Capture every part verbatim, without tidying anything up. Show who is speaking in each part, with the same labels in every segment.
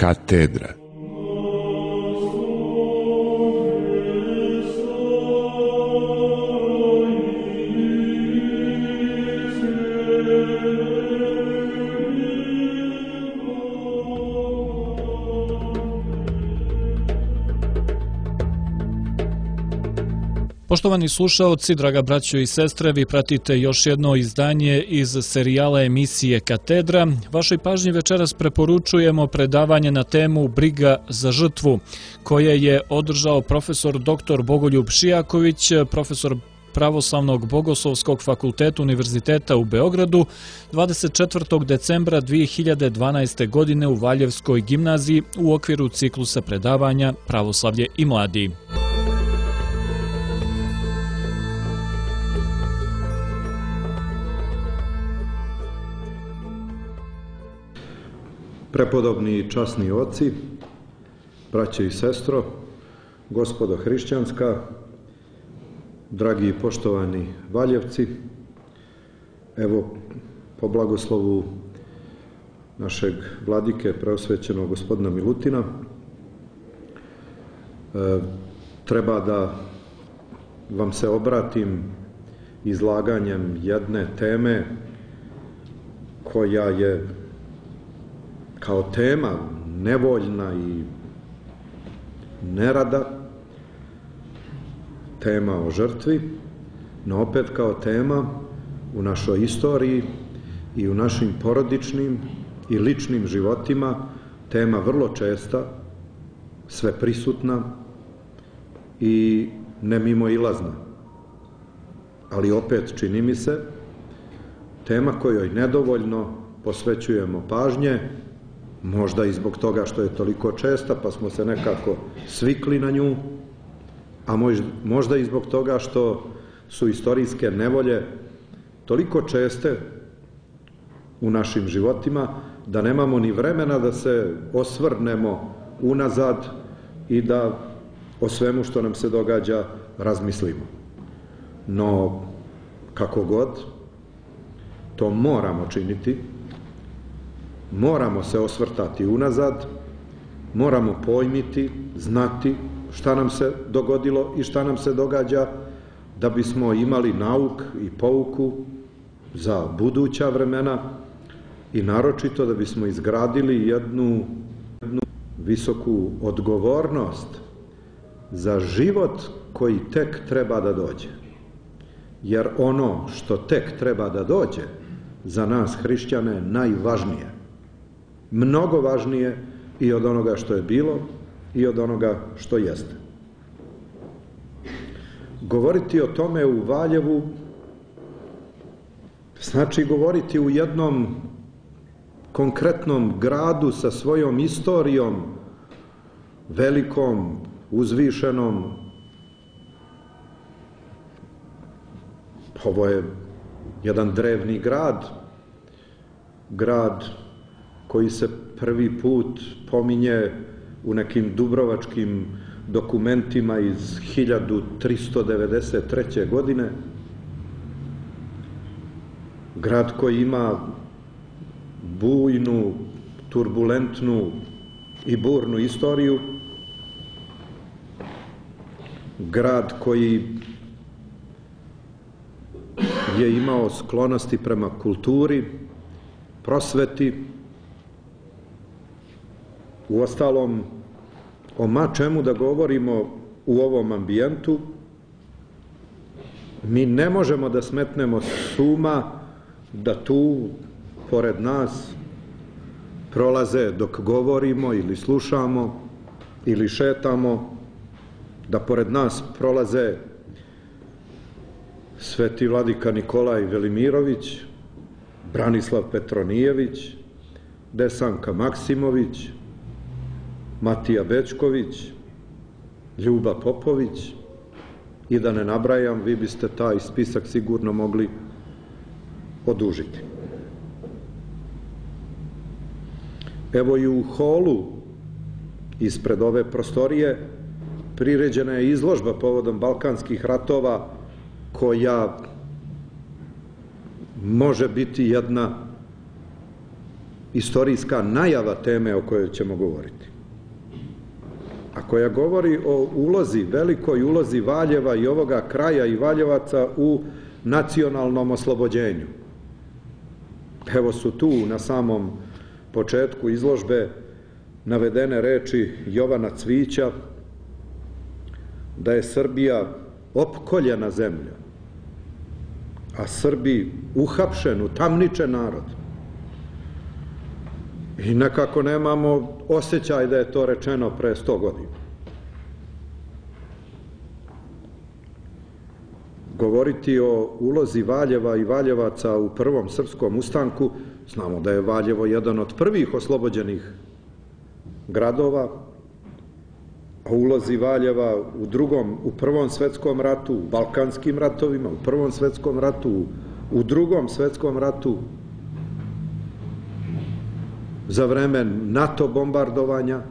Speaker 1: katedra.
Speaker 2: Poštovani slušaoci, draga braćo i sestre, vi pratite još jedno izdanje iz serijala emisije Katedra. Vašoj pažnji večeras preporučujemo predavanje na temu Briga za žrtvu, koje je održao profesor doktor Bogoljub Šijaković, profesor Pravoslavnog bogoslovskog fakulteta Univerziteta u Beogradu, dvadeset četvrtog decembra dve hiljade dvanaeste. godine u Valjevskoj gimnaziji u okviru ciklusa predavanja Pravoslavlje i mladi.
Speaker 3: Prepodobni i časni oci, braće i sestro, gospodo hrišćanska, dragi i poštovani Valjevci, evo po blagoslovu našeg vladike preosvećenog gospodina Milutina, e, treba da vam se obratim izlaganjem jedne teme koja je kao tema nevoljna i nerada, tema o žrtvi, no opet kao tema u našoj istoriji i u našim porodičnim i ličnim životima, tema vrlo česta, sveprisutna i nemimoilazna. Ali opet, čini mi se, tema kojoj nedovoljno posvećujemo pažnje, možda i zbog toga što je toliko česta, pa smo se nekako svikli na nju, a možda i zbog toga što su istorijske nevolje toliko česte u našim životima, da nemamo ni vremena da se osvrnemo unazad i da o svemu što nam se događa razmislimo. No, kako god, to moramo činiti. Moramo se osvrtati unazad, moramo pojmiti, znati šta nam se dogodilo i šta nam se događa, da bismo imali nauk i pouku za buduća vremena i naročito da bismo izgradili jednu, jednu visoku odgovornost za život koji tek treba da dođe. Jer ono što tek treba da dođe za nas hrišćane je najvažnije. Mnogo važnije i od onoga što je bilo i od onoga što jeste. Govoriti o tome u Valjevu znači govoriti u jednom konkretnom gradu sa svojom istorijom, velikom, uzvišenom. Ovo je jedan drevni grad, grad koji se prvi put pominje u nekim dubrovačkim dokumentima iz hiljadu tristo devedeset treće. godine. Grad koji ima bujnu, turbulentnu i burnu istoriju. Grad koji je imao sklonosti prema kulturi, prosveti. Uostalom, o ma čemu da govorimo u ovom ambijentu, mi ne možemo da smetnemo s uma da tu, pored nas, prolaze dok govorimo ili slušamo ili šetamo, da pored nas prolaze sveti vladika Nikolaj Velimirović, Branislav Petronijević, Desanka Maksimović, Matija Bečković, Ljuba Popović i da ne nabrajam, vi biste taj spisak sigurno mogli odužiti. Evo i u holu ispred ove prostorije priređena je izložba povodom Balkanskih ratova koja može biti jedna istorijska najava teme o kojoj ćemo govoriti, a koja govori o ulozi, velikoj ulozi Valjeva i ovoga kraja i Valjevaca u nacionalnom oslobođenju. Evo su tu na samom početku izložbe navedene reči Jovana Cvića da je Srbija opkoljena zemlja, a Srbi uhapšen, utamničen narod. I nekako nemamo osjećaj da je to rečeno pre sto godina. Govoriti o ulozi Valjeva i Valjevaca u prvom srpskom ustanku, znamo da je Valjevo jedan od prvih oslobođenih gradova, a ulozi Valjeva u drugom, u prvom svetskom ratu, u balkanskim ratovima, u prvom svetskom ratu, u drugom svetskom ratu, za vreme NATO bombardovanja,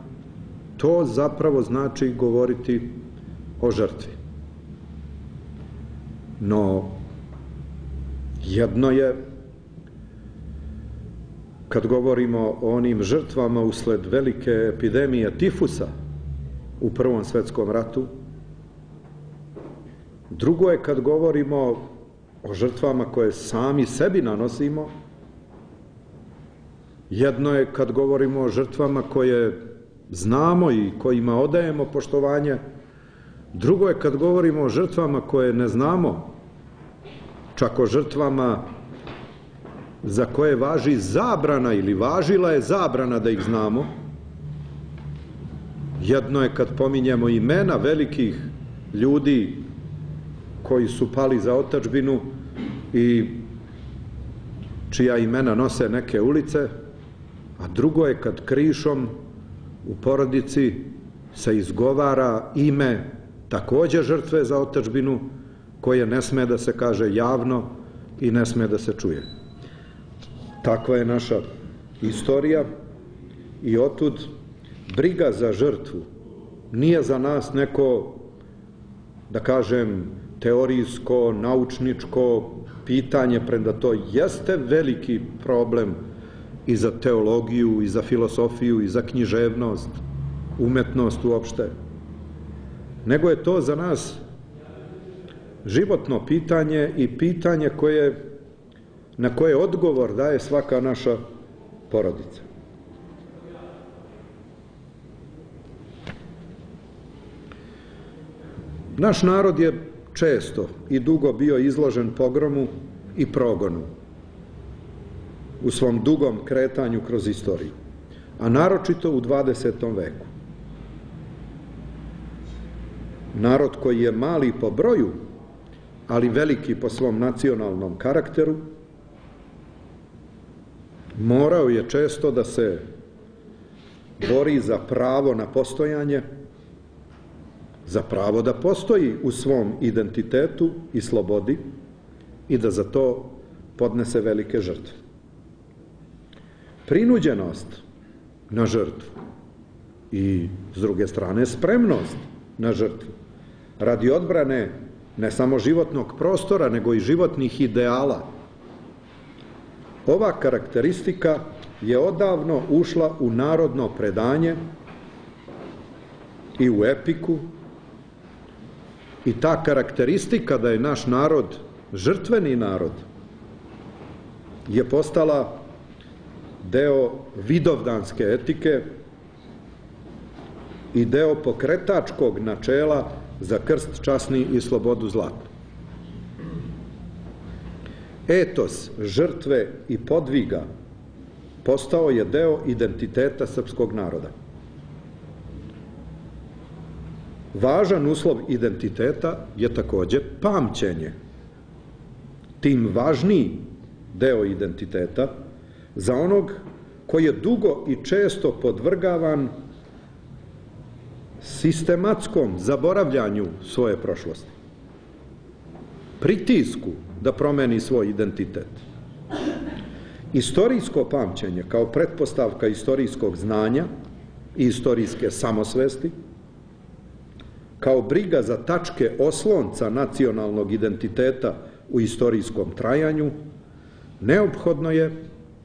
Speaker 3: to zapravo znači govoriti o žrtvi. No, jedno je, kad govorimo o onim žrtvama usled velike epidemije tifusa u prvom svetskom ratu, drugo je kad govorimo o žrtvama koje sami sebi nanosimo, jedno je kad govorimo o žrtvama koje znamo i kojima odajemo poštovanje, drugo je kad govorimo o žrtvama koje ne znamo, čak o žrtvama za koje važi zabrana ili važila je zabrana da ih znamo. Jedno je kad pominjemo imena velikih ljudi koji su pali za otadžbinu i čija imena nose neke ulice, a drugo je kad krišom u porodici se izgovara ime takođe žrtve za otadžbinu, koje ne sme da se kaže javno i ne sme da se čuje. Takva je naša istorija i otud briga za žrtvu nije za nas neko, da kažem, teorijsko, naučničko pitanje, premda to jeste veliki problem i za teologiju, i za filosofiju, i za književnost, umetnost uopšte, nego je to za nas životno pitanje i pitanje koje, na koje odgovor daje svaka naša porodica. Naš narod je često i dugo bio izložen pogromu i progonu u svom dugom kretanju kroz istoriju, a naročito u dvadesetom veku. Narod koji je mali po broju, ali veliki po svom nacionalnom karakteru, morao je često da se bori za pravo na postojanje, za pravo da postoji u svom identitetu i slobodi i da za to podnese velike žrtve. Prinuđenost na žrtvu i, s druge strane, spremnost na žrtvu radi odbrane ne samo životnog prostora, nego i životnih ideala. Ova karakteristika je odavno ušla u narodno predanje i u epiku, i ta karakteristika da je naš narod žrtveni narod je postala deo vidovdanske etike i deo pokretačkog načela za krst časni i slobodu zlatnu. Etos žrtve i podviga postao je deo identiteta srpskog naroda. Važan uslov identiteta je takođe pamćenje. Tim važniji deo identiteta za onog koji je dugo i često podvrgavan sistematskom zaboravljanju svoje prošlosti, pritisku da promeni svoj identitet. Istorijsko pamćenje kao pretpostavka istorijskog znanja i istorijske samosvesti, kao briga za tačke oslonca nacionalnog identiteta u istorijskom trajanju, neophodno je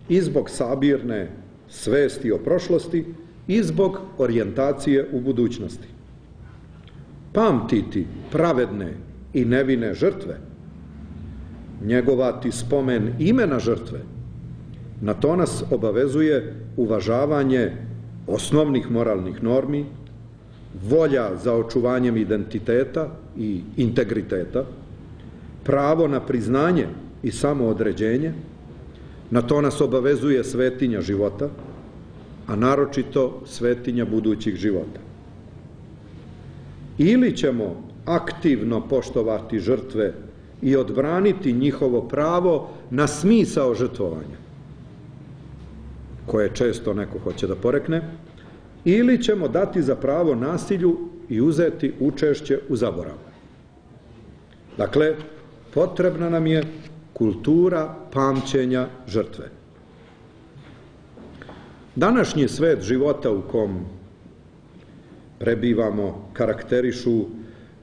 Speaker 3: i zbog sabirne svesti o prošlosti i zbog orijentacije u budućnosti. Pamtiti pravedne i nevine žrtve, njegovati spomen imena žrtve, na to nas obavezuje uvažavanje osnovnih moralnih normi, volja za očuvanjem identiteta i integriteta, pravo na priznanje i samoodređenje, na to nas obavezuje svetinja života, a naročito svetinja budućih života. Ili ćemo aktivno poštovati žrtve i odbraniti njihovo pravo na smisao žrtvovanja, koje često neko hoće da porekne, ili ćemo dati za pravo nasilju i uzeti učešće u zaboravu. Dakle, potrebna nam je kultura pamćenja žrtve. Današnji svet života u kom prebivamo karakterišu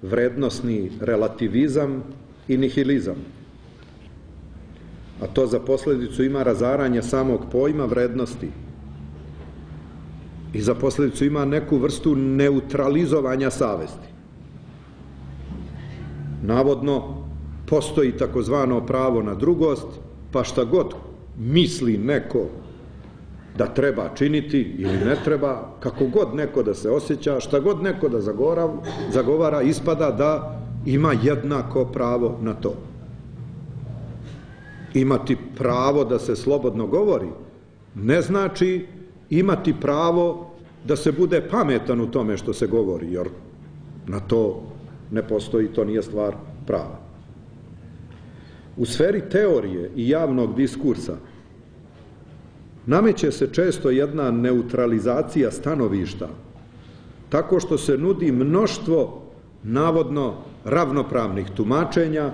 Speaker 3: vrednosni relativizam i nihilizam, a to za posledicu ima razaranje samog pojma vrednosti i za posledicu ima neku vrstu neutralizovanja savesti. Navodno, postoji takozvano pravo na drugost, pa šta god misli neko da treba činiti ili ne treba, kako god neko da se osjeća, šta god neko da zagovara, ispada da ima jednako pravo na to. Imati pravo da se slobodno govori ne znači imati pravo da se bude pametan u tome što se govori, jer na to ne postoji, to nije stvar prava. U sferi teorije i javnog diskursa nameće se često jedna neutralizacija stanovišta, tako što se nudi mnoštvo navodno ravnopravnih tumačenja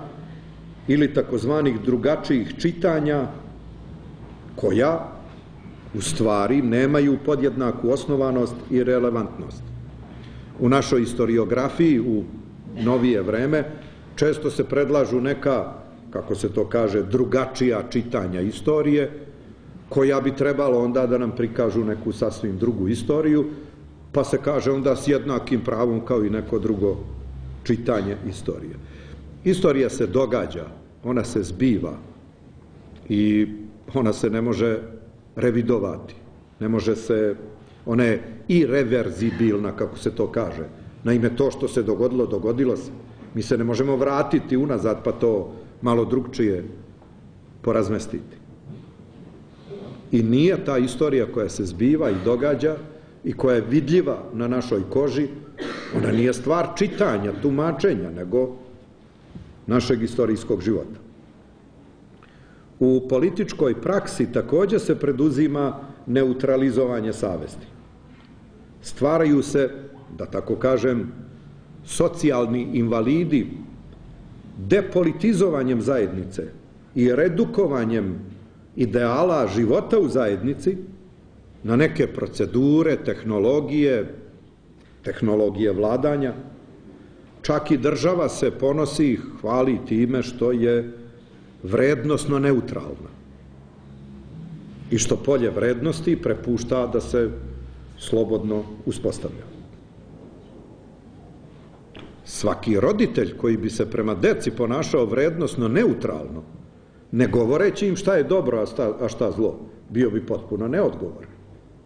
Speaker 3: ili takozvanih drugačijih čitanja, koja u stvari nemaju podjednaku osnovanost i relevantnost. U našoj historiografiji u novije vreme često se predlažu neka, kako se to kaže, drugačija čitanja istorije, koja bi trebalo onda da nam prikažu neku sasvim drugu istoriju, pa se kaže onda s jednakim pravom kao i neko drugo čitanje istorije. Istorija se događa, ona se zbiva i ona se ne može revidovati, ne može se, ona je irreverzibilna, kako se to kaže. Naime, to što se dogodilo, dogodilo se. Mi se ne možemo vratiti unazad pa to malo drugčije porazmestiti. I nije ta istorija koja se zbiva i događa i koja je vidljiva na našoj koži, ona nije stvar čitanja, tumačenja, nego našeg istorijskog života. U političkoj praksi također se preduzima neutralizovanje savesti. Stvaraju se, da tako kažem, socijalni invalidi depolitizovanjem zajednice i redukovanjem ideala života u zajednici na neke procedure, tehnologije, tehnologije vladanja. Čak i država se ponosi i hvali time što je vrednosno neutralna i što polje vrednosti prepušta da se slobodno uspostavlja. Svaki roditelj koji bi se prema deci ponašao vrednosno neutralno, ne govoreći im šta je dobro, a šta zlo, bio bi potpuno neodgovoran.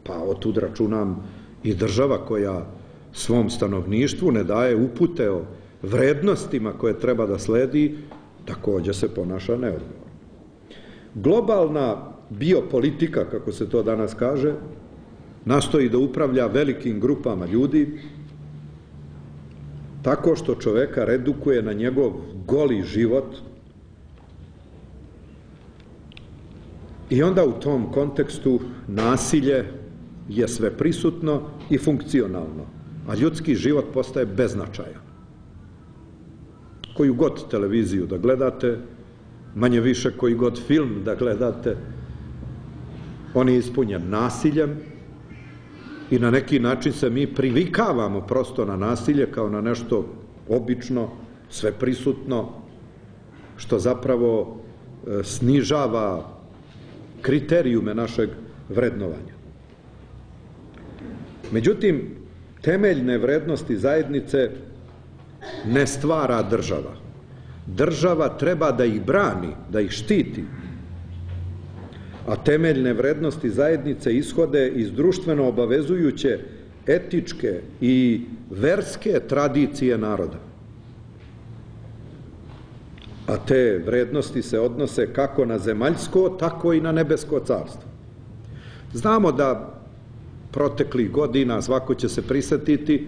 Speaker 3: Pa otud računam i država koja svom stanovništvu ne daje upute o vrednostima koje treba da sledi, također se ponaša neodgovorno. Globalna biopolitika, kako se to danas kaže, nastoji da upravlja velikim grupama ljudi tako što čoveka redukuje na njegov goli život i onda u tom kontekstu nasilje je sve prisutno i funkcionalno, a ljudski život postaje beznačajan. Koju god televiziju da gledate, manje više koji god film da gledate, on je ispunjen nasiljem i na neki način se mi privikavamo prosto na nasilje kao na nešto obično, sveprisutno, što zapravo snižava kriterijume našeg vrednovanja. Međutim, temeljne vrednosti zajednice ne stvara država. Država treba da ih brani, da ih štiti, a temeljne vrednosti zajednice ishode iz društveno obavezujuće etičke i verske tradicije naroda. A te vrednosti se odnose kako na zemaljsko, tako i na nebesko carstvo. Znamo da proteklih godina, svako će se prisetiti,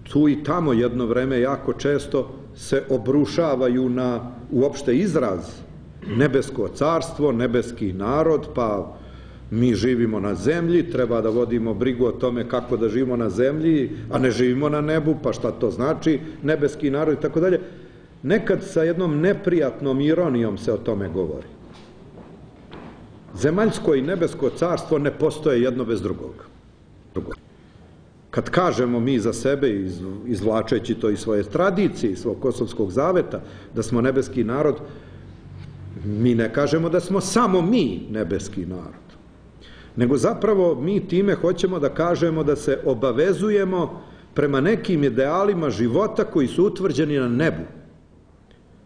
Speaker 3: tu i tamo jedno vreme jako često se obrušavaju na uopšte izraz nebesko carstvo, nebeski narod, pa mi živimo na zemlji, treba da vodimo brigu o tome kako da živimo na zemlji, a ne živimo na nebu, pa šta to znači, nebeski narod i tako dalje. Nekad sa jednom neprijatnom ironijom se o tome govori. Zemaljsko i nebesko carstvo ne postoje jedno bez drugog. Kad kažemo mi za sebe, izvlačeći to iz svoje tradicije, iz svog kosovskog zaveta, da smo nebeski narod, mi ne kažemo da smo samo mi nebeski narod, nego zapravo mi time hoćemo da kažemo da se obavezujemo prema nekim idealima života koji su utvrđeni na nebu,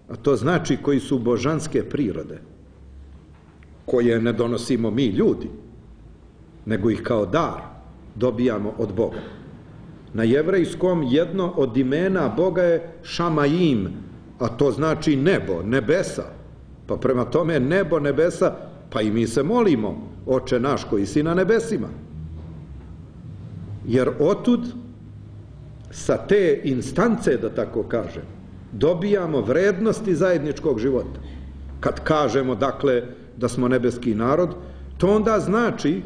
Speaker 3: a to znači koji su božanske prirode, koje ne donosimo mi ljudi, nego ih kao dar dobijamo od Boga. Na jevrejskom jedno od imena Boga je Šamajim, a to znači nebo, nebesa. Pa prema tome nebo, nebesa, pa i mi se molimo, Oče naš koji si na nebesima. Jer otud, sa te instance, da tako kažem, dobijamo vrednosti zajedničkog života. Kad kažemo, dakle, da smo nebeski narod, to onda znači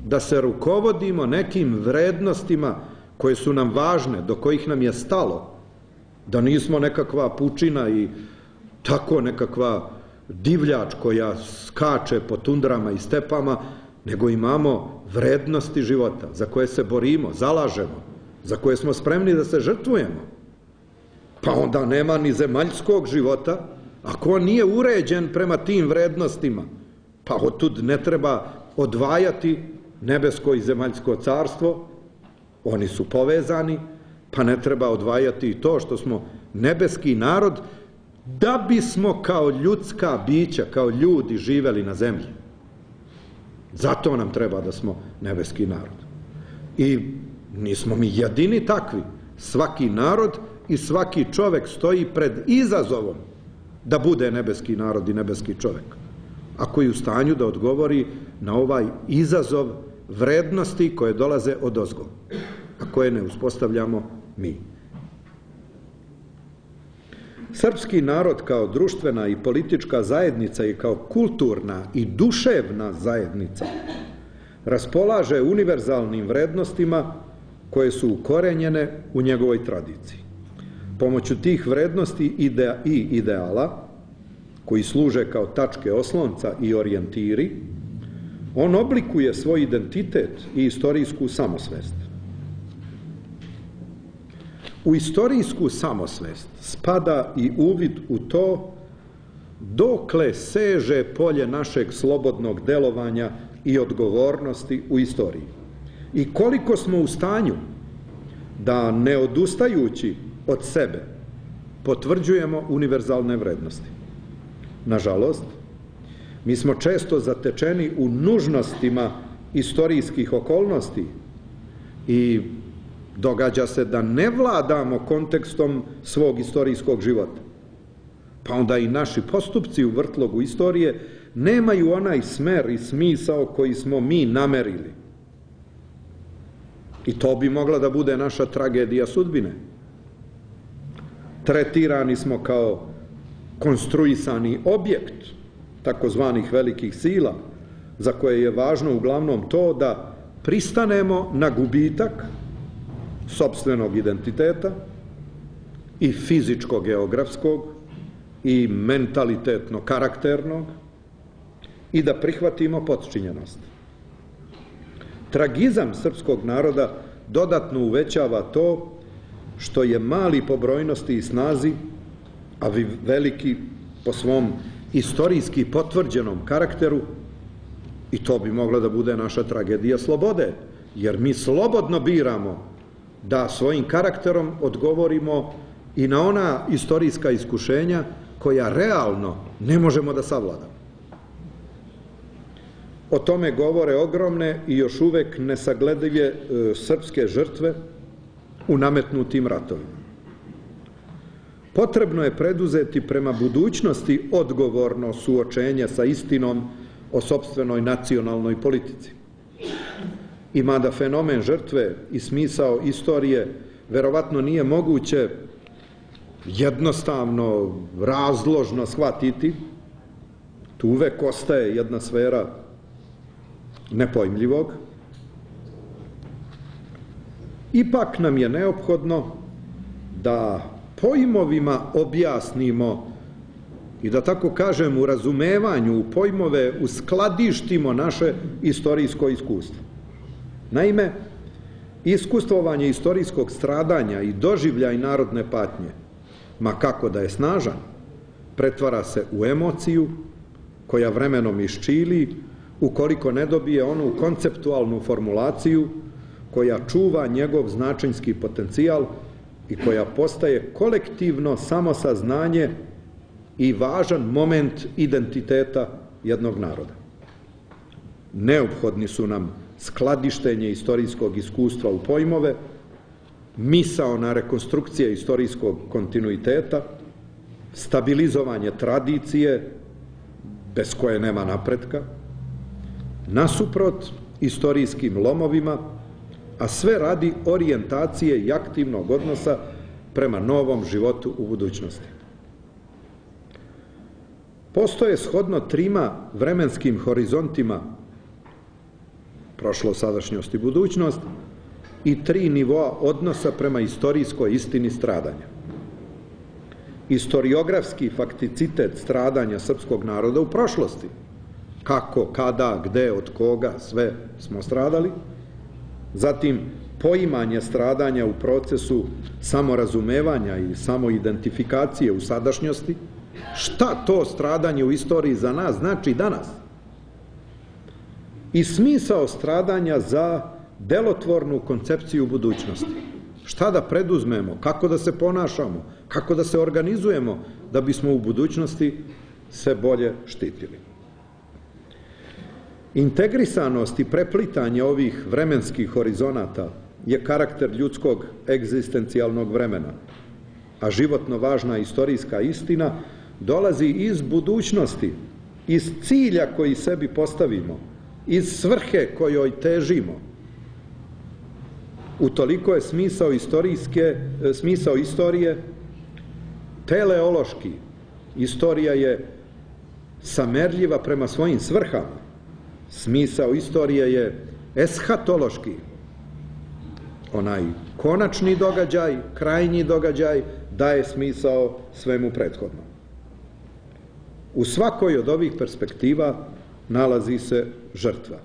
Speaker 3: da se rukovodimo nekim vrednostima koje su nam važne, do kojih nam je stalo, da nismo nekakva pučina i tako nekakva divljač koja skače po tundrama i stepama, nego imamo vrednosti života za koje se borimo, zalažemo, za koje smo spremni da se žrtvujemo. Pa onda nema ni zemaljskog života ako on nije uređen prema tim vrednostima. Pa otud ne treba odvajati nebesko i zemaljsko carstvo, oni su povezani, pa ne treba odvajati i to što smo nebeski narod, da bismo kao ljudska bića, kao ljudi živeli na zemlji. Zato nam treba da smo nebeski narod. I nismo mi jedini takvi. Svaki narod i svaki čovek stoji pred izazovom da bude nebeski narod i nebeski čovek, ako je u stanju da odgovori na ovaj izazov vrednosti koje dolaze odozgo, a koje ne uspostavljamo mi. Srpski narod kao društvena i politička zajednica i kao kulturna i duševna zajednica raspolaže univerzalnim vrednostima koje su ukorenjene u njegovoj tradiciji. Pomoću tih vrednosti i ideala, koji služe kao tačke oslonca i orijentiri, on oblikuje svoj identitet i istorijsku samosvest. U istorijsku samosvest spada i uvid u to dokle seže polje našeg slobodnog delovanja i odgovornosti u istoriji i koliko smo u stanju da, ne odustajući od sebe, potvrđujemo univerzalne vrednosti. Nažalost, mi smo često zatečeni u nužnostima istorijskih okolnosti i događa se da ne vladamo kontekstom svog istorijskog života. Pa onda i naši postupci u vrtlogu istorije nemaju onaj smer i smisao koji smo mi namerili. I to bi mogla da bude naša tragedija sudbine. Tretirani smo kao konstruisani objekt takozvanih velikih sila, za koje je važno uglavnom to da pristanemo na gubitak sopstvenog identiteta i fizičko-geografskog i mentalitetno-karakternog i da prihvatimo potčinjenost. Tragizam srpskog naroda dodatno uvećava to što je mali po brojnosti i snazi, a veliki po svom istorijski potvrđenom karakteru, i to bi mogla da bude naša tragedija slobode, jer mi slobodno biramo da svojim karakterom odgovorimo i na ona istorijska iskušenja koja realno ne možemo da savladamo. O tome govore ogromne i još uvek nesagledive e, srpske žrtve u nametnutim ratovima. Potrebno je preduzeti prema budućnosti odgovorno suočenje sa istinom o sopstvenoj nacionalnoj politici. I mada fenomen žrtve i smisao istorije verovatno nije moguće jednostavno, razložno shvatiti, tu uvek ostaje jedna sfera nepojmljivog, ipak nam je neophodno da pojmovima objasnimo i da tako kažem u razumevanju, u pojmove uskladištimo naše istorijsko iskustvo. Naime, iskustvovanje istorijskog stradanja i doživljaj narodne patnje, ma kako da je snažan, pretvara se u emociju koja vremenom iščili ukoliko ne dobije onu konceptualnu formulaciju koja čuva njegov značenjski potencijal i koja postaje kolektivno samosaznanje i važan moment identiteta jednog naroda. Neophodni su nam skladištenje istorijskog iskustva u pojmove, misaona rekonstrukcija istorijskog kontinuiteta, stabilizovanje tradicije, bez koje nema napretka, nasuprot istorijskim lomovima, a sve radi orijentacije i aktivnog odnosa prema novom životu u budućnosti. Postoje shodno trima vremenskim horizontima, prošlost, sadašnjost i budućnost, i tri nivoa odnosa prema istorijskoj istini stradanja. Istoriografski fakticitet stradanja srpskog naroda u prošlosti, kako, kada, gde, od koga, sve smo stradali, zatim poimanje stradanja u procesu samorazumevanja i samoidentifikacije u sadašnjosti, šta to stradanje u istoriji za nas znači danas, i smisao stradanja za delotvornu koncepciju budućnosti. Šta da preduzmemo, kako da se ponašamo, kako da se organizujemo da bismo u budućnosti se bolje štitili. Integrisanost i preplitanje ovih vremenskih horizonata je karakter ljudskog egzistencijalnog vremena, a životno važna istorijska istina dolazi iz budućnosti, iz cilja koji sebi postavimo, iz svrhe kojoj težimo. Utoliko je smisao istorijske, smisao istorije teleološki. Istorija je samerljiva prema svojim svrhama. Smisao istorije je eshatološki. Onaj konačni događaj, krajnji događaj daje smisao svemu prethodnom. U svakoj od ovih perspektiva nalazi se žrtva.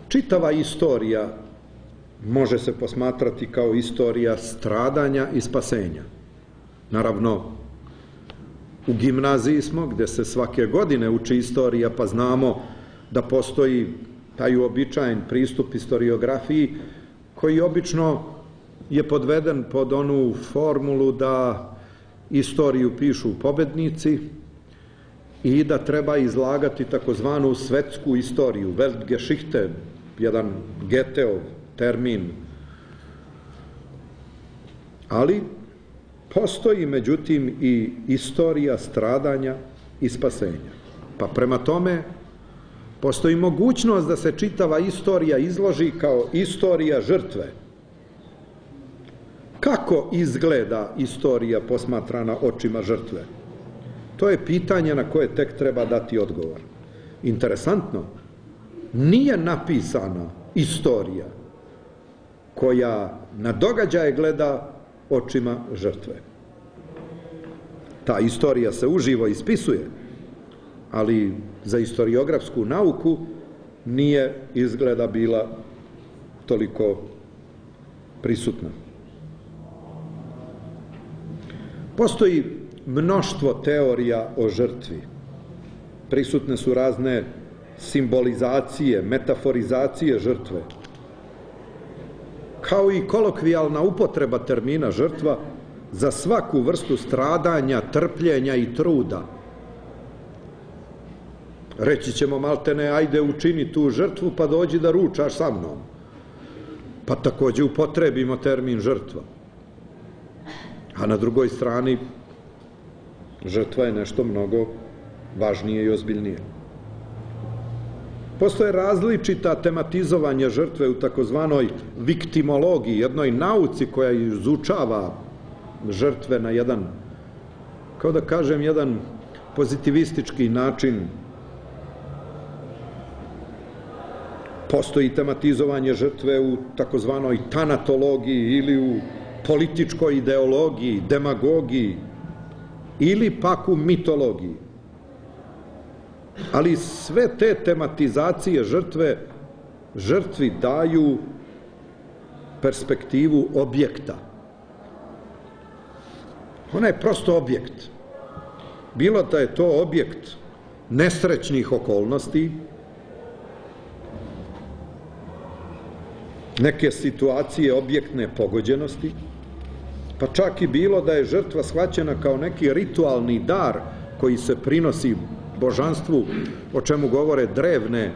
Speaker 3: Čitava istorija može se posmatrati kao istorija stradanja i spasenja. Naravno, u gimnaziji smo, gde se svake godine uči istorija, pa znamo da postoji taj uobičajen pristup istoriografiji, koji obično je podveden pod onu formulu da istoriju pišu pobednici i da treba izlagati takozvanu svetsku istoriju, Weltgeschichte, jedan Goetheov termin. Ali postoji, međutim, i istorija stradanja i spasenja. Pa prema tome, postoji mogućnost da se čitava istorija izloži kao istorija žrtve. Kako izgleda istorija posmatrana očima žrtve? To je pitanje na koje tek treba dati odgovor. Interesantno, nije napisana istorija koja na događaje gleda očima žrtve. Ta istorija se uživo ispisuje, ali za istoriografsku nauku nije izgleda bila toliko prisutna. Postoji mnoštvo teorija o žrtvi. Prisutne su razne simbolizacije, metaforizacije žrtve, kao i kolokvijalna upotreba termina žrtva za svaku vrstu stradanja, trpljenja i truda. Reći ćemo maltene, ajde učini tu žrtvu pa dođi da ručaš sa mnom. Pa takođe upotrebimo termin žrtva. A na drugoj strani, žrtva je nešto mnogo važnije i ozbiljnije. Postoje različita tematizovanja žrtve u takozvanoj viktimologiji, jednoj nauci koja izučava žrtve na jedan, kao da kažem, jedan pozitivistički način. Postoji tematizovanje žrtve u takozvanoj tanatologiji ili u političkoj ideologiji, demagogiji ili pak u mitologiji. Ali sve te tematizacije žrtve žrtvi daju perspektivu objekta. Ona je prosto objekt. Bilo da je to objekt nesrećnih okolnosti, neke situacije objektne pogođenosti, pa čak i bilo da je žrtva shvaćena kao neki ritualni dar koji se prinosi božanstvu, o čemu govore drevne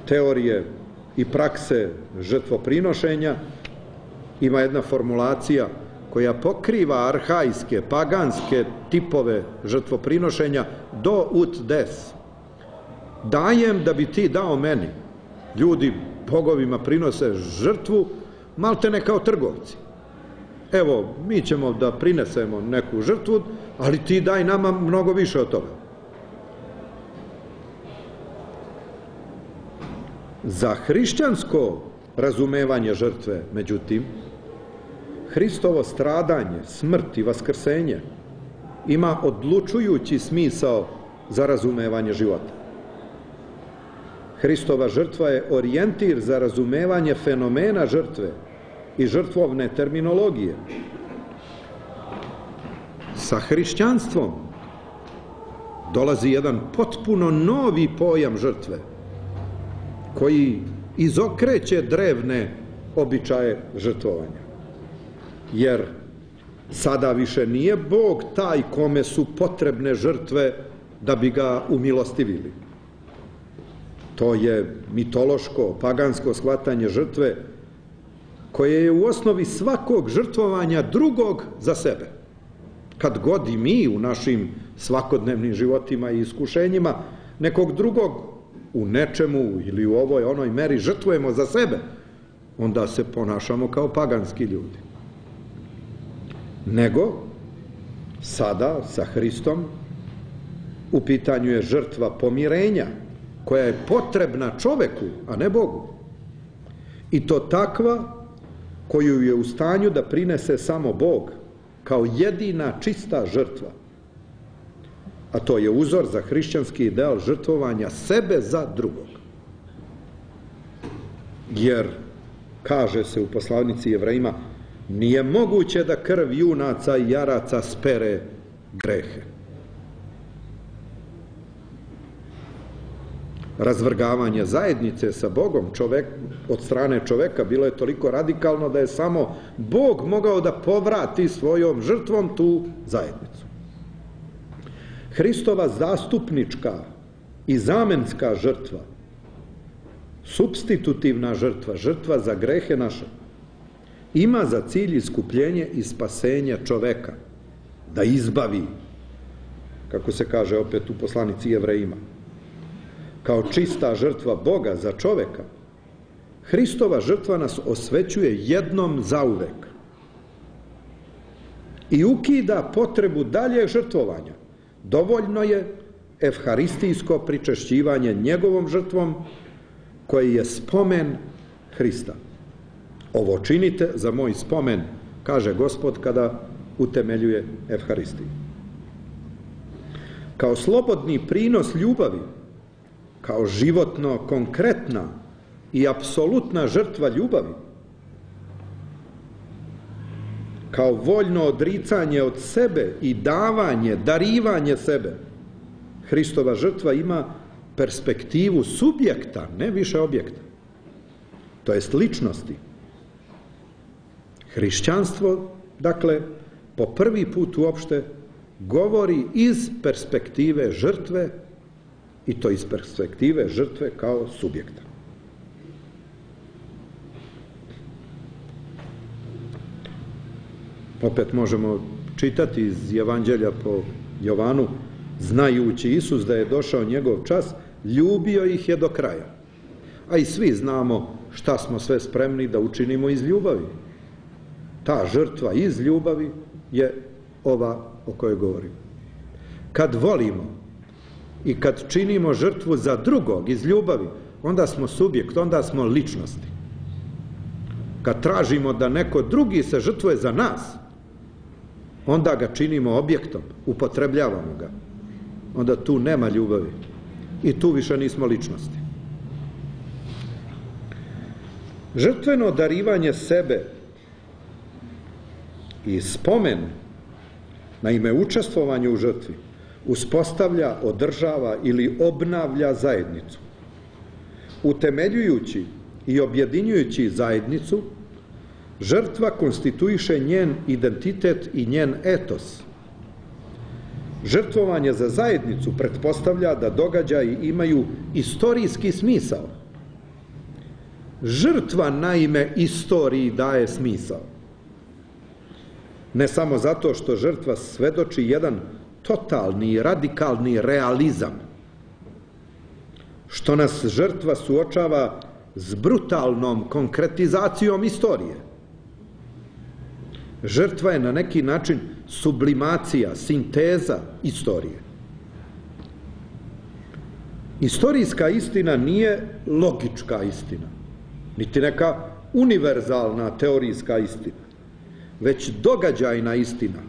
Speaker 3: teorije i prakse žrtvoprinošenja. Ima jedna formulacija koja pokriva arhajske, paganske tipove žrtvoprinošenja do ut des. Dajem da bi ti dao meni. Ljudi bogovima prinose žrtvu maltene kao trgovci. Evo, mi ćemo da prinesemo neku žrtvu, ali ti daj nama mnogo više od toga. Za hrišćansko razumevanje žrtve, međutim, Hristovo stradanje, smrt i vaskrsenje ima odlučujući smisao za razumevanje života. Hristova žrtva je orijentir za razumevanje fenomena žrtve i žrtvovne terminologije. Sa hrišćanstvom dolazi jedan potpuno novi pojam žrtve, koji izokreće drevne običaje žrtvovanja. Jer sada više nije Bog taj kome su potrebne žrtve da bi ga umilostivili. To je mitološko, pagansko shvatanje žrtve, koje je u osnovi svakog žrtvovanja drugog za sebe. Kad god i mi u našim svakodnevnim životima i iskušenjima nekog drugog u nečemu ili u ovoj onoj meri žrtvujemo za sebe, onda se ponašamo kao paganski ljudi. Nego, sada sa Hristom u pitanju je žrtva pomirenja, koja je potrebna čoveku, a ne Bogu. I to takva koju je u stanju da prinese samo Bog, kao jedina čista žrtva. A to je uzor za hrišćanski ideal žrtvovanja sebe za drugog. Jer, kaže se u poslanici Jevrejima, nije moguće da krv junaca i jaraca spere grehe. Razvrgavanje zajednice sa Bogom čovek, od strane čoveka bilo je toliko radikalno da je samo Bog mogao da povrati svojom žrtvom tu zajednicu. Hristova zastupnička i zamenska žrtva, supstitutivna žrtva, žrtva za grehe naše, ima za cilj iskupljenje i spasenje čoveka, da izbavi, kako se kaže opet u poslanici Jevrejima, kao čista žrtva Boga za čoveka. Hristova žrtva nas osvećuje jednom zauvek i ukida potrebu daljeg žrtvovanja. Dovoljno je evharistijsko pričešćivanje njegovom žrtvom, koji je spomen Hrista. Ovo činite za moj spomen, kaže Gospod kada utemeljuje evharistiju. Kao slobodni prinos ljubavi, kao životno konkretna i apsolutna žrtva ljubavi, kao voljno odricanje od sebe i davanje, darivanje sebe, Hristova žrtva ima perspektivu subjekta, ne više objekta, to jest ličnosti. Hrišćanstvo, dakle, po prvi put uopšte govori iz perspektive žrtve, i to iz perspektive žrtve kao subjekta. Opet možemo čitati iz Evanđelja po Jovanu, znajući Isus da je došao njegov čas, ljubio ih je do kraja. A i svi znamo šta smo sve spremni da učinimo iz ljubavi. Ta žrtva iz ljubavi je ova o kojoj govorim. Kad volimo i kad činimo žrtvu za drugog iz ljubavi, onda smo subjekt, onda smo ličnosti. Kad tražimo da neko drugi se žrtvuje za nas, onda ga činimo objektom, upotrebljavamo ga. Onda tu nema ljubavi i tu više nismo ličnosti. Žrtveno darivanje sebe i spomen na ime učestvovanja u žrtvi uspostavlja, održava ili obnavlja zajednicu. Utemeljujući i objedinjujući zajednicu, žrtva konstituiše njen identitet i njen etos. Žrtvovanje za zajednicu pretpostavlja da događaji imaju istorijski smisao. Žrtva, naime, istoriji daje smisao. Ne samo zato što žrtva svedoči jedan totalni, radikalni realizam, što nas žrtva suočava s brutalnom konkretizacijom istorije. Žrtva je na neki način sublimacija, sinteza istorije. Istorijska istina nije logička istina, niti neka univerzalna teorijska istina, već događajna istina,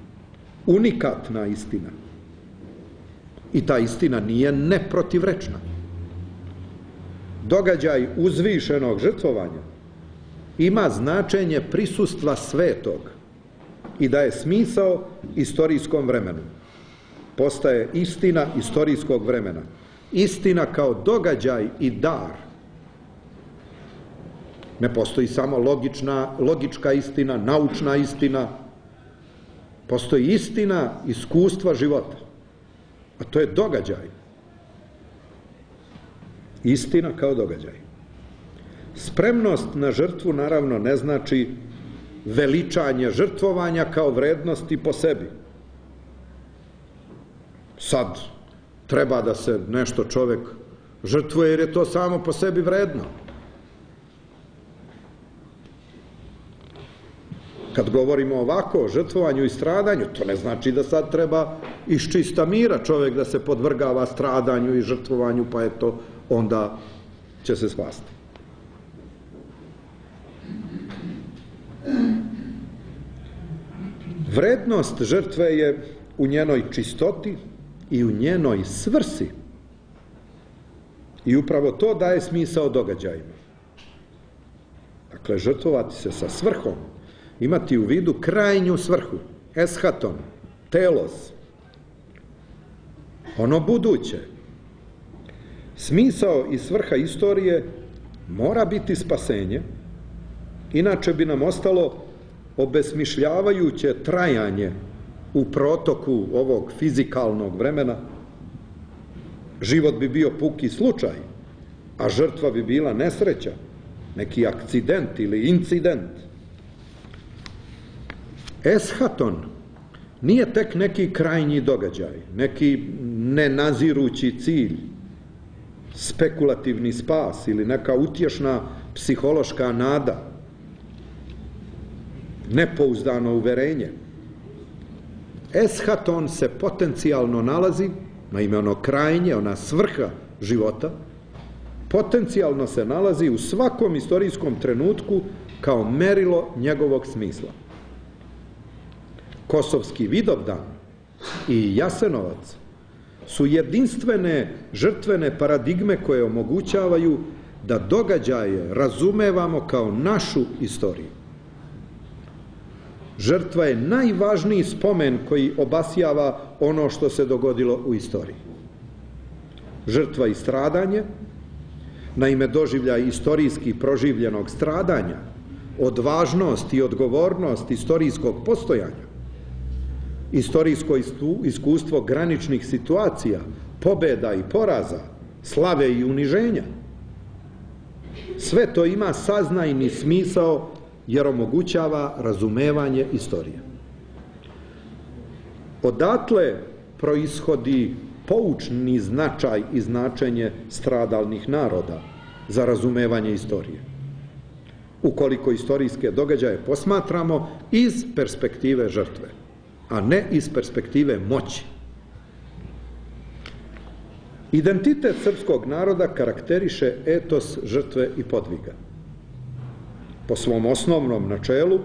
Speaker 3: unikatna istina. I ta istina nije neprotivrečna. Događaj uzvišenog žrtvovanja ima značenje prisustva svetog i daje smisao istorijskom vremenu. Postaje istina istorijskog vremena. Istina kao događaj i dar. Ne postoji samo logična, logička istina, naučna istina. Postoji istina iskustva života. A to je događaj. Istina kao događaj. Spremnost na žrtvu naravno ne znači veličanje žrtvovanja kao vrednosti po sebi. Sad treba da se nešto čovek žrtvuje jer je to samo po sebi vredno. Kad govorimo ovako o žrtvovanju i stradanju, to ne znači da sad treba iz čista mira čovjek da se podvrgava stradanju i žrtvovanju, pa eto, onda će se spasti. Vrednost žrtve je u njenoj čistoti i u njenoj svrsi. I upravo to daje smisao događajima. Dakle, žrtvovati se sa svrhom, imati u vidu krajnju svrhu, eschaton, telos, ono buduće. Smisao i svrha istorije mora biti spasenje, inače bi nam ostalo obesmišljavajuće trajanje u protoku ovog fizikalnog vremena. Život bi bio puki slučaj, a žrtva bi bila nesreća, neki akcident ili incident. Eschaton nije tek neki krajnji događaj, neki nenazirući cilj, spekulativni spas ili neka utješna psihološka nada, nepouzdano uverenje. Eschaton se potencijalno nalazi, naime ono krajnje, ona svrha života, potencijalno se nalazi u svakom istorijskom trenutku kao merilo njegovog smisla. Kosovski Vidovdan i Jasenovac su jedinstvene žrtvene paradigme koje omogućavaju da događaje razumevamo kao našu istoriju. Žrtva je najvažniji spomen koji obasjava ono što se dogodilo u istoriji. žrtva i stradanje. Naime, doživljaj istorijski proživljenog stradanja, odvažnost i odgovornost istorijskog postojanja, istorijsko iskustvo graničnih situacija, pobjeda i poraza, slave i uniženja. Sve to ima saznajni smisao jer omogućava razumevanje istorije. Odatle proishodi poučni značaj i značenje stradalnih naroda za razumevanje istorije. Ukoliko istorijske događaje posmatramo iz perspektive žrtve, a ne iz perspektive moći. Identitet srpskog naroda karakteriše etos žrtve i podviga. Po svom osnovnom načelu,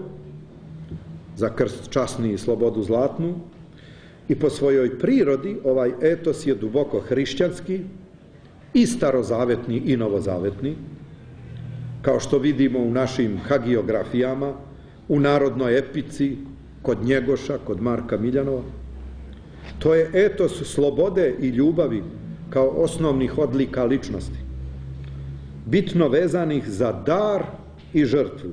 Speaker 3: za krst časni i slobodu zlatnu, i po svojoj prirodi ovaj etos je duboko hrišćanski i starozavetni i novozavetni, kao što vidimo u našim hagiografijama, u narodnoj epici, kod Njegoša, kod Marka Miljanova. To je etos slobode i ljubavi kao osnovnih odlika ličnosti, bitno vezanih za dar i žrtvu.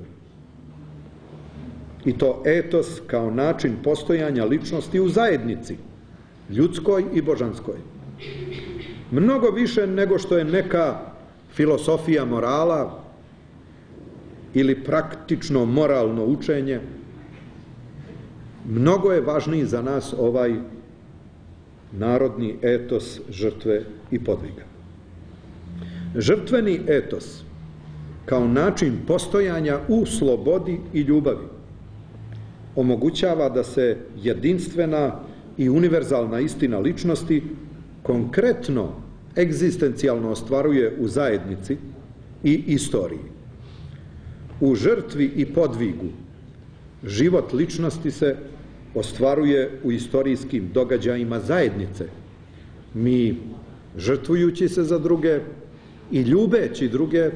Speaker 3: I to etos kao način postojanja ličnosti u zajednici, ljudskoj i božanskoj. Mnogo više nego što je neka filosofija morala ili praktično moralno učenje, mnogo je važniji za nas ovaj narodni etos žrtve i podviga. Žrtveni etos kao način postojanja u slobodi i ljubavi omogućava da se jedinstvena i univerzalna istina ličnosti konkretno, egzistencijalno ostvaruje u zajednici i istoriji. U žrtvi i podvigu život ličnosti se ostvaruje u istorijskim događajima zajednice. Mi, žrtvujući se za druge i ljubeći druge,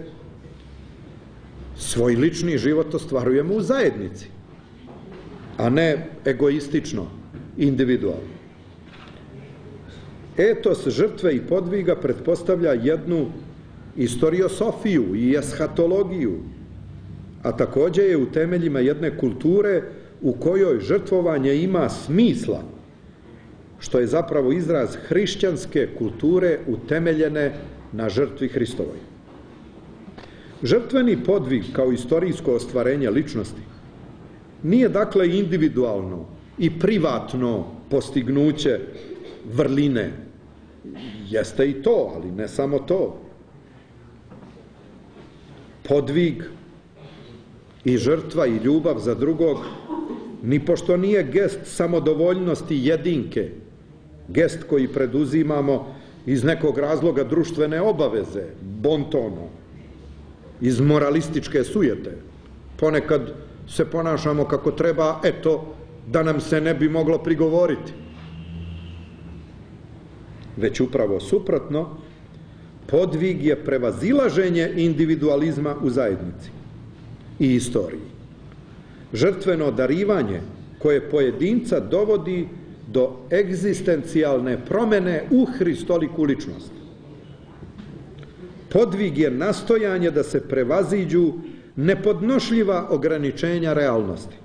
Speaker 3: svoj lični život ostvarujemo u zajednici, a ne egoistično, individualno. Etos žrtve i podviga pretpostavlja jednu istoriosofiju i eshatologiju, a također je u temeljima jedne kulture u kojoj žrtvovanje ima smisla, što je zapravo izraz hrišćanske kulture utemeljene na žrtvi Hristovoj. Žrtveni podvig kao istorijsko ostvarenje ličnosti nije dakle individualno i privatno postignuće vrline. Jeste i to, ali ne samo to. Podvig i žrtva i ljubav za drugog nipošto nije gest samodovoljnosti jedinke, gest koji preduzimamo iz nekog razloga društvene obaveze, bontono, iz moralističke sujete. Ponekad se ponašamo kako treba, eto, da nam se ne bi moglo prigovoriti. Već upravo suprotno, podvig je prevazilaženje individualizma u zajednici i istoriji. Žrtveno darivanje koje pojedinca dovodi do egzistencijalne promene u hristoliku ličnost. Podvig je nastojanje da se prevaziđu nepodnošljiva ograničenja realnosti,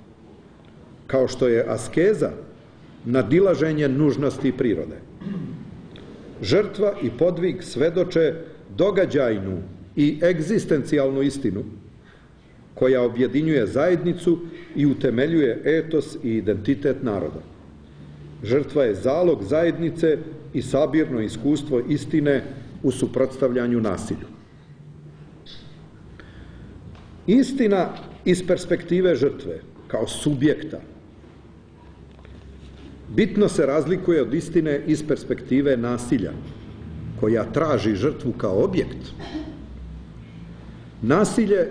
Speaker 3: kao što je askeza nadilaženje nužnosti prirode. Žrtva i podvig svedoče događajnu i egzistencijalnu istinu koja objedinjuje zajednicu i utemeljuje etos i identitet naroda. Žrtva je zalog zajednice i sabirno iskustvo istine u suprotstavljanju nasilju. Istina iz perspektive žrtve, kao subjekta, bitno se razlikuje od istine iz perspektive nasilja, koja traži žrtvu kao objekt. Nasilje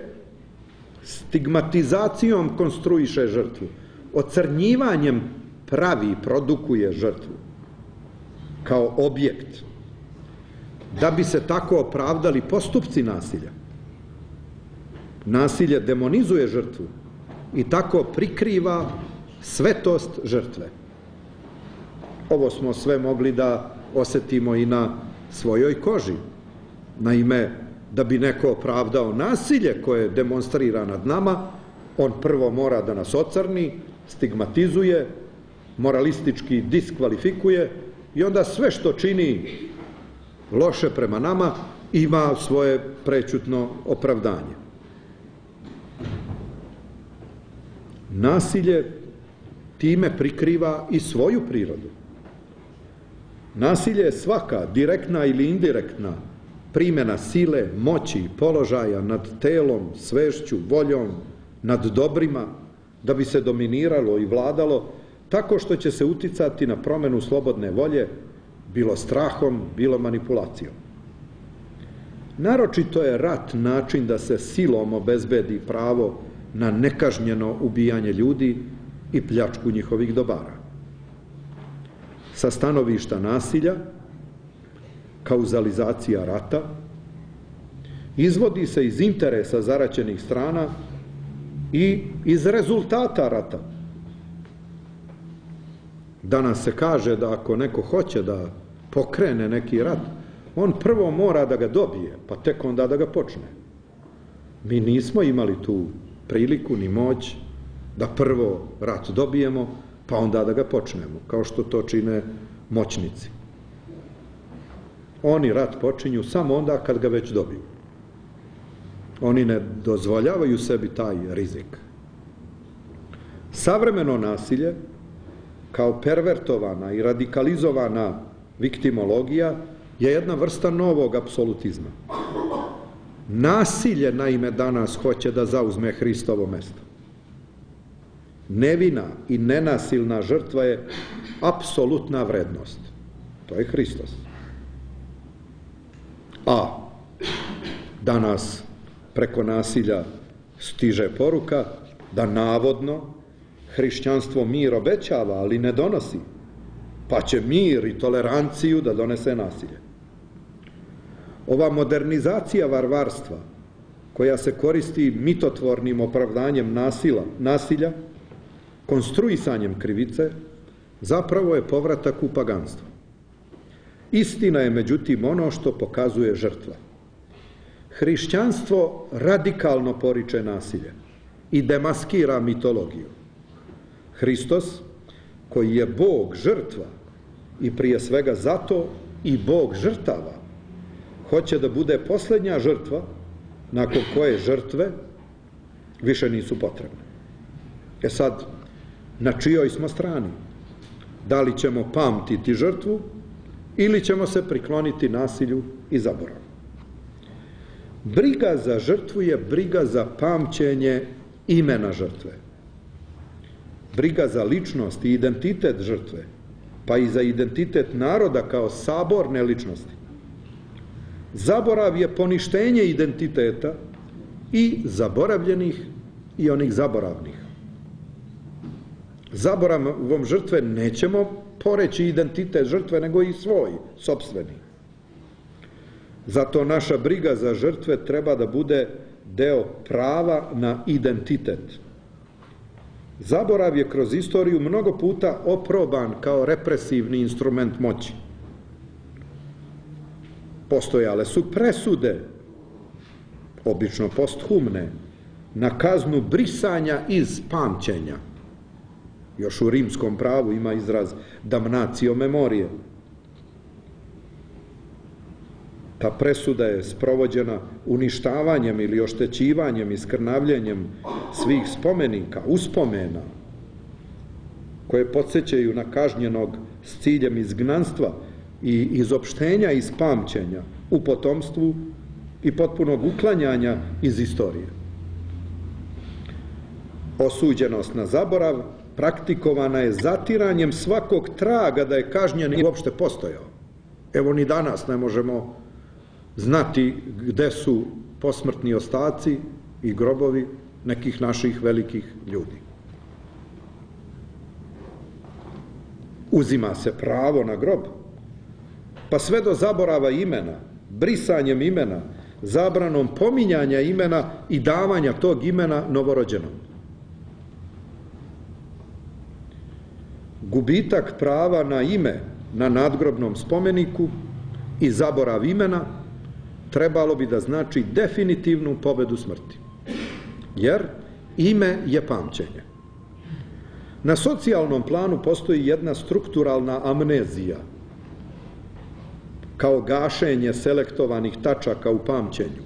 Speaker 3: stigmatizacijom konstruiše žrtvu, ocrnjivanjem pravi, produkuje žrtvu kao objekt, da bi se tako opravdali postupci nasilja. Nasilje demonizuje žrtvu i tako prikriva svetost žrtve. Ovo smo sve mogli da osetimo i na svojoj koži. Naime, da bi neko opravdao nasilje koje demonstrira nad nama, on prvo mora da nas ocrni, stigmatizuje, moralistički diskvalifikuje i onda sve što čini loše prema nama ima svoje prećutno opravdanje. Nasilje time prikriva i svoju prirodu. Nasilje je svaka, direktna ili indirektna, primjena sile, moći, položaja nad telom, svešću, voljom, nad dobrima, da bi se dominiralo i vladalo, tako što će se uticati na promjenu slobodne volje, bilo strahom, bilo manipulacijom. Naročito je rat način da se silom obezbedi pravo na nekažnjeno ubijanje ljudi i pljačku njihovih dobara. Sa stanovišta nasilja, kauzalizacija rata, izvodi se iz interesa zaraćenih strana i iz rezultata rata. Danas se kaže da ako neko hoće da pokrene neki rat, on prvo mora da ga dobije, pa tek onda da ga počne. Mi nismo imali tu priliku ni moć da prvo rat dobijemo, pa onda da ga počnemo, kao što to čine moćnici. Oni rat počinju samo onda kad ga već dobiju. Oni ne dozvoljavaju sebi taj rizik. Savremeno nasilje, kao pervertovana i radikalizovana viktimologija, je jedna vrsta novog apsolutizma. Nasilje, naime, danas hoće da zauzme Hristovo mesto. Nevina i nenasilna žrtva je apsolutna vrednost. To je Hristos. A danas preko nasilja stiže poruka da navodno hrišćanstvo mir obećava, ali ne donosi, pa će mir i toleranciju da donese nasilje. Ova modernizacija varvarstva, koja se koristi mitotvornim opravdanjem nasila, nasilja, konstruisanjem krivice, zapravo je povratak u paganstvo. Istina je, međutim, ono što pokazuje žrtva. Hrišćanstvo radikalno poriče nasilje i demaskira mitologiju. Hristos, koji je Bog žrtva i prije svega zato i Bog žrtava, hoće da bude posljednja žrtva nakon koje žrtve više nisu potrebne. E sad, na čijoj smo strani? Da li ćemo pamtiti žrtvu ili ćemo se prikloniti nasilju i zaboravu? Briga za žrtvu je briga za pamćenje imena žrtve. Briga za ličnost i identitet žrtve, pa i za identitet naroda kao saborne ličnosti. Zaborav je poništenje identiteta i zaboravljenih i onih zaboravnih. Zaboravom žrtve nećemo poreći identitet žrtve, nego i svoj, sopstveni. Zato naša briga za žrtve treba da bude deo prava na identitet. Zaborav je kroz istoriju mnogo puta oproban kao represivni instrument moći. Postojale su presude, obično posthumne, na kaznu brisanja iz pamćenja. Još u rimskom pravu ima izraz damnatio memorije. Ta presuda je sprovođena uništavanjem ili oštećivanjem i skrnavljenjem svih spomenika, uspomena, koje podsjećaju na kažnjenog s ciljem izgnanstva i izopštenja iz pamćenja u potomstvu i potpunog uklanjanja iz istorije. Osuđenost na zaborav praktikovana je zatiranjem svakog traga da je kažnjen i uopšte postojao. Evo, ni danas ne možemo znati gde su posmrtni ostaci i grobovi nekih naših velikih ljudi. Uzima se pravo na grob, pa sve do zaborava imena, brisanjem imena, zabranom pominjanja imena i davanja tog imena novorođenom. Gubitak prava na ime na nadgrobnom spomeniku i zaborav imena trebalo bi da znači definitivnu pobedu smrti. Jer ime je pamćenje. Na socijalnom planu postoji jedna strukturalna amnezija, kao gašenje selektovanih tačaka u pamćenju.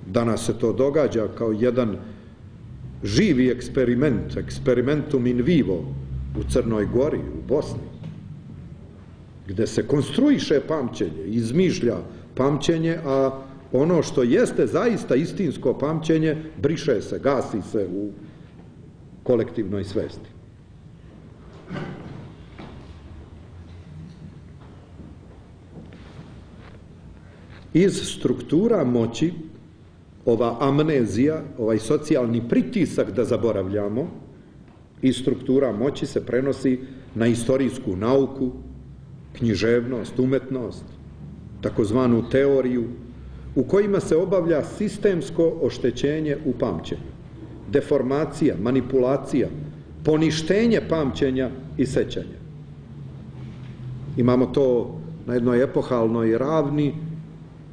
Speaker 3: Danas se to događa kao jedan živi eksperiment, experimentum in vivo u Crnoj Gori, u Bosni, gde se konstruiše pamćenje, izmišlja pamćenje, a ono što jeste zaista istinsko pamćenje briše se, gasi se u kolektivnoj svesti. Iz struktura moći ova amnezija, ovaj socijalni pritisak da zaboravljamo, iz struktura moći se prenosi na istorijsku nauku, književnost, umetnost, takozvanu teoriju, u kojima se obavlja sistemsko oštećenje u pamćenju, deformacija, manipulacija, poništenje pamćenja i sećanja. Imamo to na jednoj epohalnoj ravni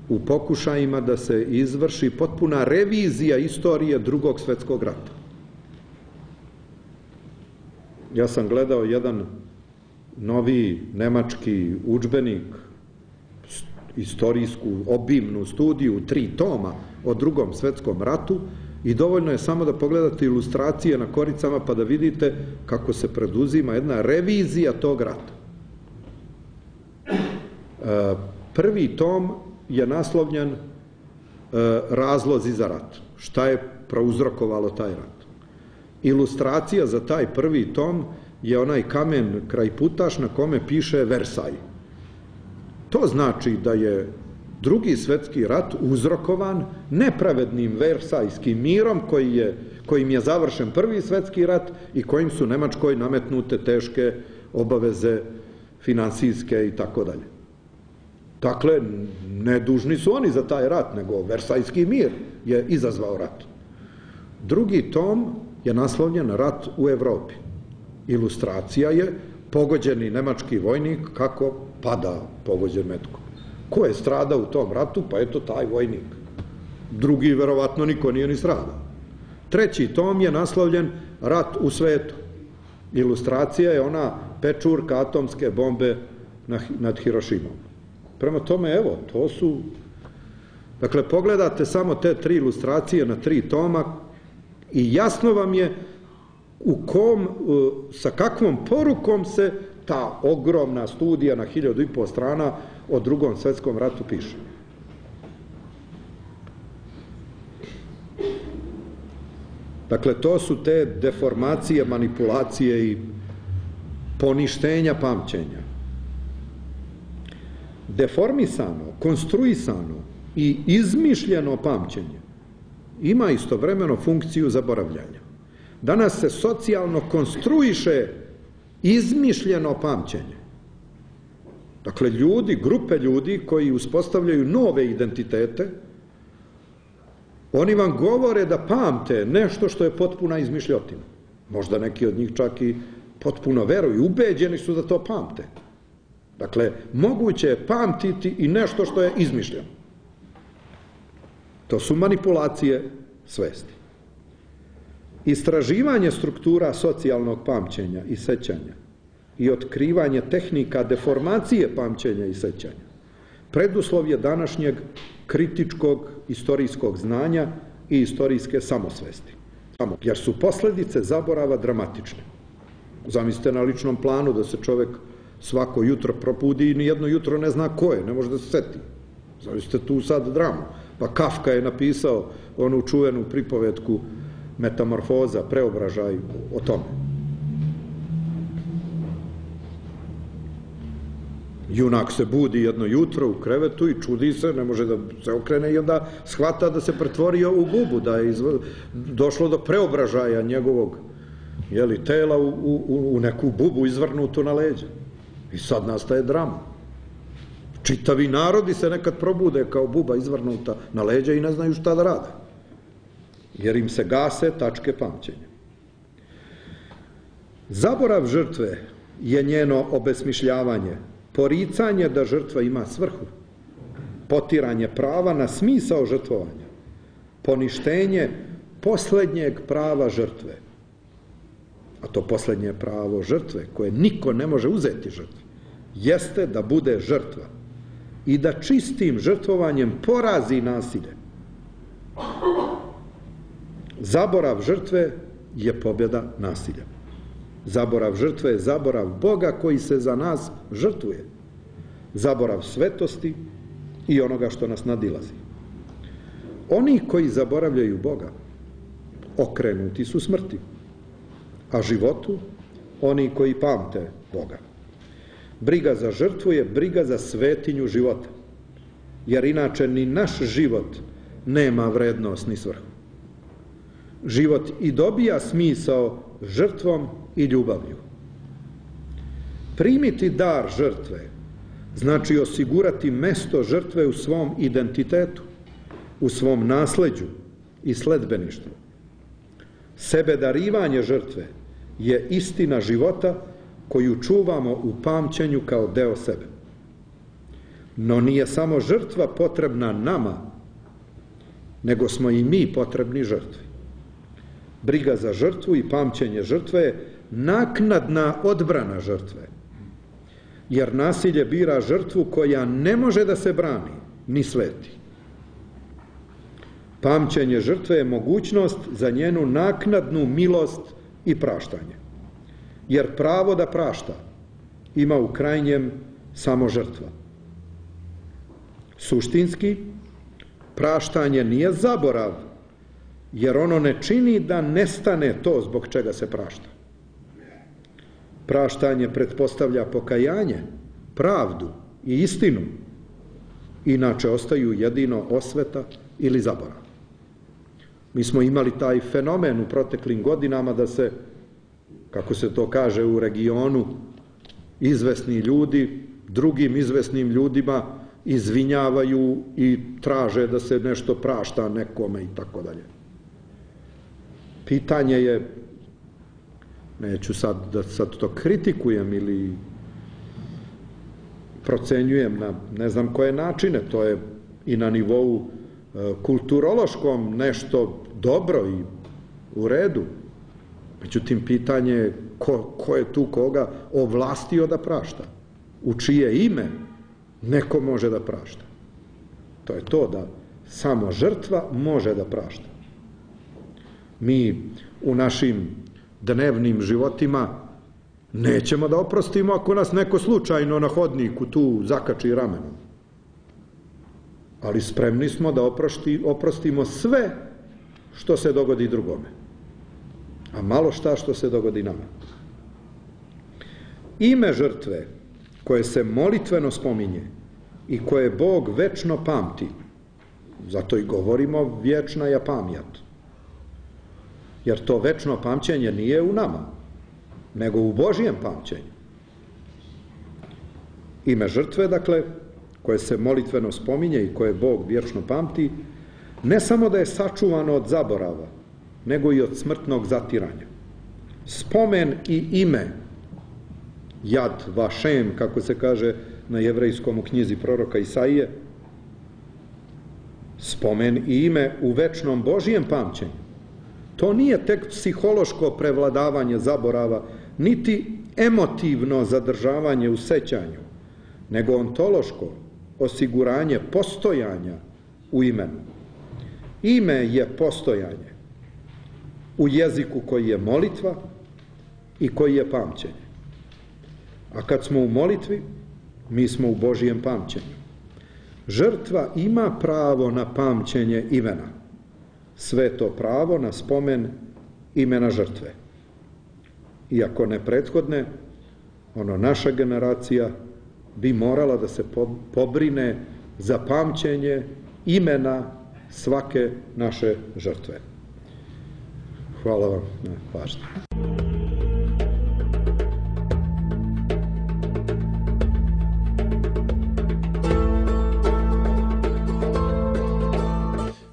Speaker 3: u pokušajima da se izvrši potpuna revizija istorije Drugog svjetskog rata. Ja sam gledao jedan novi nemački udžbenik, istorijsku obimnu studiju, tri toma o Drugom svjetskom ratu, i dovoljno je samo da pogledate ilustracije na koricama pa da vidite kako se preduzima jedna revizija tog rata. Prvi tom je naslovljen Razlozi za rat. Šta je prouzrokovalo taj rat? Ilustracija za taj prvi tom je onaj kamen kraj putaš na kome piše Versaj. To znači da je Drugi svjetski rat uzrokovan nepravednim Versajskim mirom koji je, kojim je završen Prvi svjetski rat i kojim su Nemačkoj nametnute teške obaveze finansijske i tako dalje. Dakle, ne dužni su oni za taj rat, nego Versajski mir je izazvao rat. Drugi tom je naslovljen Rat u Evropi. Ilustracija je pogođeni nemački vojnik kako pada pogođen metkom. Ko je stradao u tom ratu? Pa eto taj vojnik. Drugi, verovatno, niko nije ni stradao. Treći tom je naslovljen Rat u svetu. Ilustracija je ona pečurka atomske bombe nad Hirošimom. Prema tome, evo, to su... Dakle, pogledate samo te tri ilustracije na tri toma i jasno vam je u kom, sa kakvom porukom se ta ogromna studija na hiljadu i pol strana o Drugom svjetskom ratu piše. Dakle, to su te deformacije, manipulacije i poništenja pamćenja. Deformisano, konstruisano i izmišljeno pamćenje ima istovremeno funkciju zaboravljanja. Danas se socijalno konstruiše izmišljeno pamćenje. Dakle, ljudi, grupe ljudi koji uspostavljaju nove identitete, oni vam govore da pamte nešto što je potpuna izmišljotina. Možda neki od njih čak i potpuno veruju, ubeđeni su da to pamte. Dakle, moguće je pamtiti i nešto što je izmišljeno. To su manipulacije svesti. Istraživanje struktura socijalnog pamćenja i sećanja i otkrivanje tehnika deformacije pamćenja i sećanja preduslov je današnjeg kritičkog istorijskog znanja i istorijske samosvesti. Jer su posljedice zaborava dramatične. Zamislite na ličnom planu da se čovjek svako jutro probudi i nijedno jutro ne zna ko je, ne može da se seti. Zamislite tu sad dramu. Pa Kafka je napisao onu čuvenu pripovetku Metamorfoza, preobražaj o tome. Junak se budi jedno jutro u krevetu i čudi se, ne može da se okrene i onda shvata da se pretvorio u bubu, da je izv... došlo do preobražaja njegovog jeli, tela u, u, u neku bubu izvrnutu na leđa. I sad nastaje drama. Čitavi narodi se nekad probude kao buba izvrnuta na leđa i ne znaju šta da rade. Jer im se gase tačke pamćenja. Zaborav žrtve je njeno obesmišljavanje poricanje da žrtva ima svrhu, potiranje prava na smisao žrtvovanja, poništenje posljednjeg prava žrtve, a to posljednje pravo žrtve, koje niko ne može uzeti žrtvi, jeste da bude žrtva i da čistim žrtvovanjem porazi nasilje. Zaborav žrtve je pobjeda nasilja. Zaborav žrtve je zaborav Boga koji se za nas žrtvuje. Zaborav svetosti i onoga što nas nadilazi. Oni koji zaboravljaju Boga okrenuti su smrti, a životu oni koji pamte Boga. Briga za žrtvu je briga za svetinju života, jer inače ni naš život nema vrednost ni svrhu. Život i dobija smisao žrtvom i ljubavlju. Primiti dar žrtve znači osigurati mesto žrtve u svom identitetu, u svom nasleđu i sledbeništvu. Sebedarivanje žrtve je istina života koju čuvamo u pamćenju kao deo sebe. No nije samo žrtva potrebna nama, nego smo i mi potrebni žrtvi. Briga za žrtvu i pamćenje žrtve je naknadna odbrana žrtve, jer nasilje bira žrtvu koja ne može da se brani, ni sveti. Pamćenje žrtve je mogućnost za njenu naknadnu milost i praštanje, jer pravo da prašta ima u krajnjem samo žrtva. Suštinski, praštanje nije zaborav, jer ono ne čini da nestane to zbog čega se prašta. Praštanje pretpostavlja pokajanje, pravdu i istinu, inače ostaju jedino osveta ili zaborav. Mi smo imali taj fenomen u proteklim godinama da se, kako se to kaže u regionu, izvesni ljudi drugim izvesnim ljudima izvinjavaju i traže da se nešto prašta nekome i tako dalje. Pitanje je, neću sad da sad to kritikujem ili procenjujem na ne znam koje načine, to je i na nivou e, kulturološkom nešto dobro i u redu. Međutim, pitanje je ko, ko je tu koga ovlastio da prašta, u čije ime neko može da prašta. To je to da samo žrtva može da prašta. Mi u našim dnevnim životima nećemo da oprostimo ako nas neko slučajno na hodniku tu zakači ramenom. Ali spremni smo da oprosti, oprostimo sve što se dogodi drugome, a malo šta što se dogodi nama. Ime žrtve koje se molitveno spominje i koje Bog večno pamti, zato i govorimo vječna je pamjat, jer to večno pamćenje nije u nama, nego u Božjem pamćenju. Ime žrtve, dakle, koje se molitveno spominje i koje Bog vječno pamti, ne samo da je sačuvano od zaborava, nego i od smrtnog zatiranja. Spomen i ime, Jad Vašem, kako se kaže na jevrejskom u knjizi proroka Isaije, spomen i ime u večnom Božjem pamćenju. To nije tek psihološko prevladavanje zaborava, niti emotivno zadržavanje u sećanju, nego ontološko osiguranje postojanja u imenu. Ime je postojanje u jeziku koji je molitva i koji je pamćenje. A kad smo u molitvi, mi smo u Božjem pamćenju. Žrtva ima pravo na pamćenje imena, sve to pravo na spomen imena žrtve. Iako ne prethodne, ono naša generacija bi morala da se pobrine za pamćenje imena svake naše žrtve. Hvala vam na pažnji.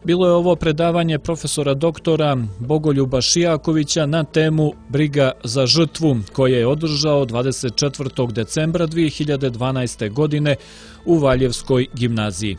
Speaker 2: Bilo je ovo predavanje profesora doktora Bogoljuba Šijakovića na temu Briga za žrtvu, koje je održao dvadeset četvrtog decembra dvije hiljade dvanaeste. godine u Valjevskoj gimnaziji.